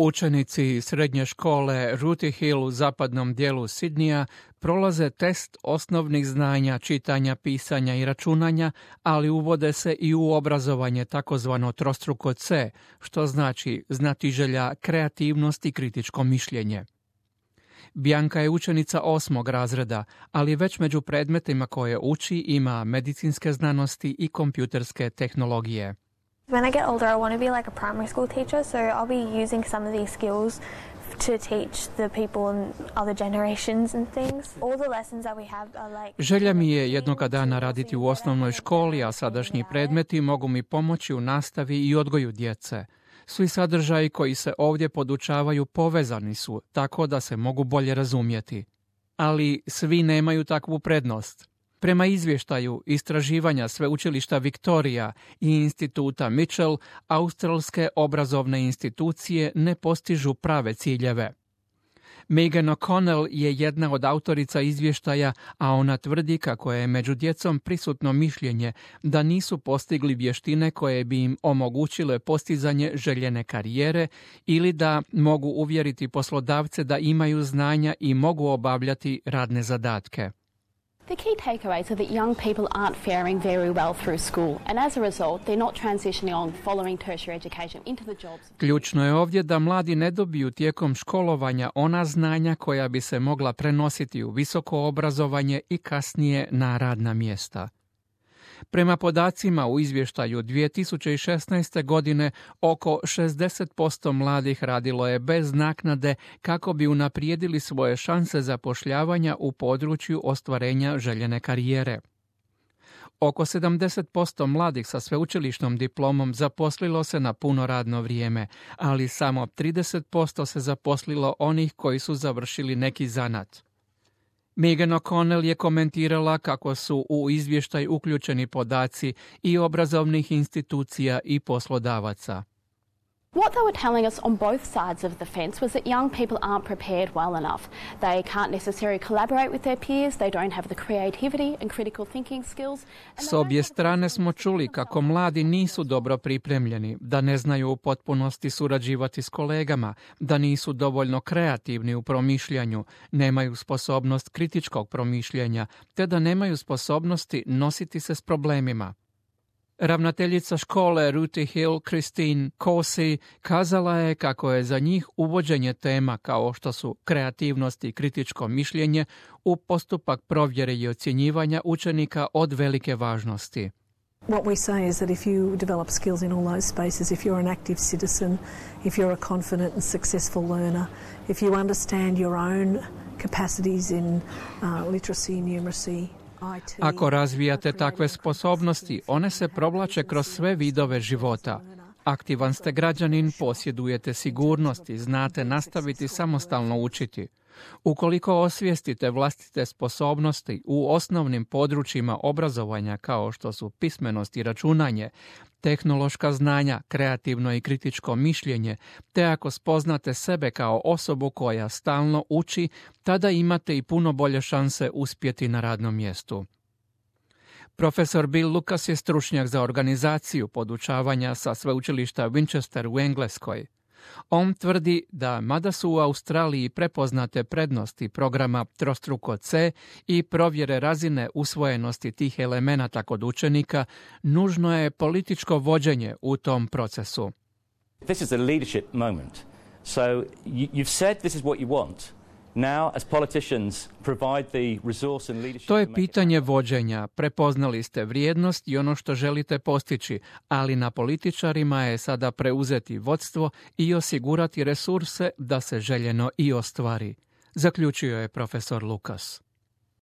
Učenici srednje škole Rooty Hill u zapadnom dijelu Sidneya prolaze test osnovnih znanja čitanja, pisanja i računanja, ali uvode se i u obrazovanje takozvano trostruko C, što znači znatiželja, kreativnost i kritičko mišljenje. Bianca je učenica 8. razreda, ali već među predmetima koje uči ima medicinske znanosti i kompjuterske tehnologije. When I get older, I want to be like a primary school teacher, so I'll be using some of these skills to teach the people in other generations and things. All the lessons that we have are like... Želja mi je jednoga dana raditi u osnovnoj školi, a sadašnji predmeti mogu mi pomoći u nastavi i odgoju djece. Svi sadržaji koji se ovdje podučavaju povezani su, tako da se mogu bolje razumjeti. Ali svi nemaju takvu prednost. Prema izvještaju istraživanja Sveučilišta Victoria i instituta Mitchell, australske obrazovne institucije ne postižu prave ciljeve. Megan O'Connell je jedna od autorica izvještaja, a ona tvrdi kako je među djecom prisutno mišljenje da nisu postigli vještine koje bi im omogućile postizanje željene karijere ili da mogu uvjeriti poslodavce da imaju znanja i mogu obavljati radne zadatke. The key takeaways are that young people aren't faring very well through school, and as a result, they're not transitioning on following tertiary education into the jobs. Ključno je ovdje da mladi ne dobiju tijekom školovanja ona znanja koja bi se mogla prenositi u visoko obrazovanje i kasnije na radna mjesta. Prema podacima u izvještaju 2016. godine, oko 60% mladih radilo je bez naknade kako bi unaprijedili svoje šanse zapošljavanja u području ostvarenja željene karijere. Oko 70% mladih sa sveučilišnom diplomom zaposlilo se na puno radno vrijeme, ali samo 30% se zaposlilo onih koji su završili neki zanat. Megan O'Connell je komentirala kako su u izvještaj uključeni podaci i obrazovnih institucija i poslodavaca. What they were telling us on both sides of the fence was that young people aren't prepared well enough. They can't necessarily collaborate with their peers, they don't have the creativity and critical thinking skills. S obje strane smo čuli kako mladi nisu dobro pripremljeni, da ne znaju u potpunosti surađivati s kolegama, da nisu dovoljno kreativni u promišljanju, nemaju sposobnost kritičkog promišljanja, te da nemaju sposobnosti nositi se s problemima. Ravnateljica škole Rooty Hill, Christine Cossey, kazala je kako je za njih uvođenje tema kao što su kreativnost i kritičko mišljenje u postupak provjere i ocjenjivanja učenika od velike važnosti. What we say is that if you develop skills in all those spaces, if you're an active citizen, if you're a confident and successful learner, if you understand your own capacities in literacy, numeracy, ako razvijate takve sposobnosti, one se provlače kroz sve vidove života. Aktivan ste građanin, posjedujete sigurnost i znate nastaviti samostalno učiti. Ukoliko osvijestite vlastite sposobnosti u osnovnim područjima obrazovanja kao što su pismenost i računanje, tehnološka znanja, kreativno i kritičko mišljenje, te ako spoznate sebe kao osobu koja stalno uči, tada imate i puno bolje šanse uspjeti na radnom mjestu. Profesor Bill Lucas je stručnjak za organizaciju podučavanja sa sveučilišta Winchester u Engleskoj. On tvrdi da mada su u Australiji prepoznate prednosti programa trostruko C i provjere razine usvojenosti tih elemenata kod učenika, nužno je političko vođenje u tom procesu. This is a leadership moment. So you've said this is what you want. Now, as politicians, provide the resource and leadership. To je pitanje vođenja. Prepoznali ste vrijednost i ono što želite postići, ali na političarima je sada preuzeti vodstvo i osigurati resurse da se željeno i ostvari, zaključio je profesor Lucas.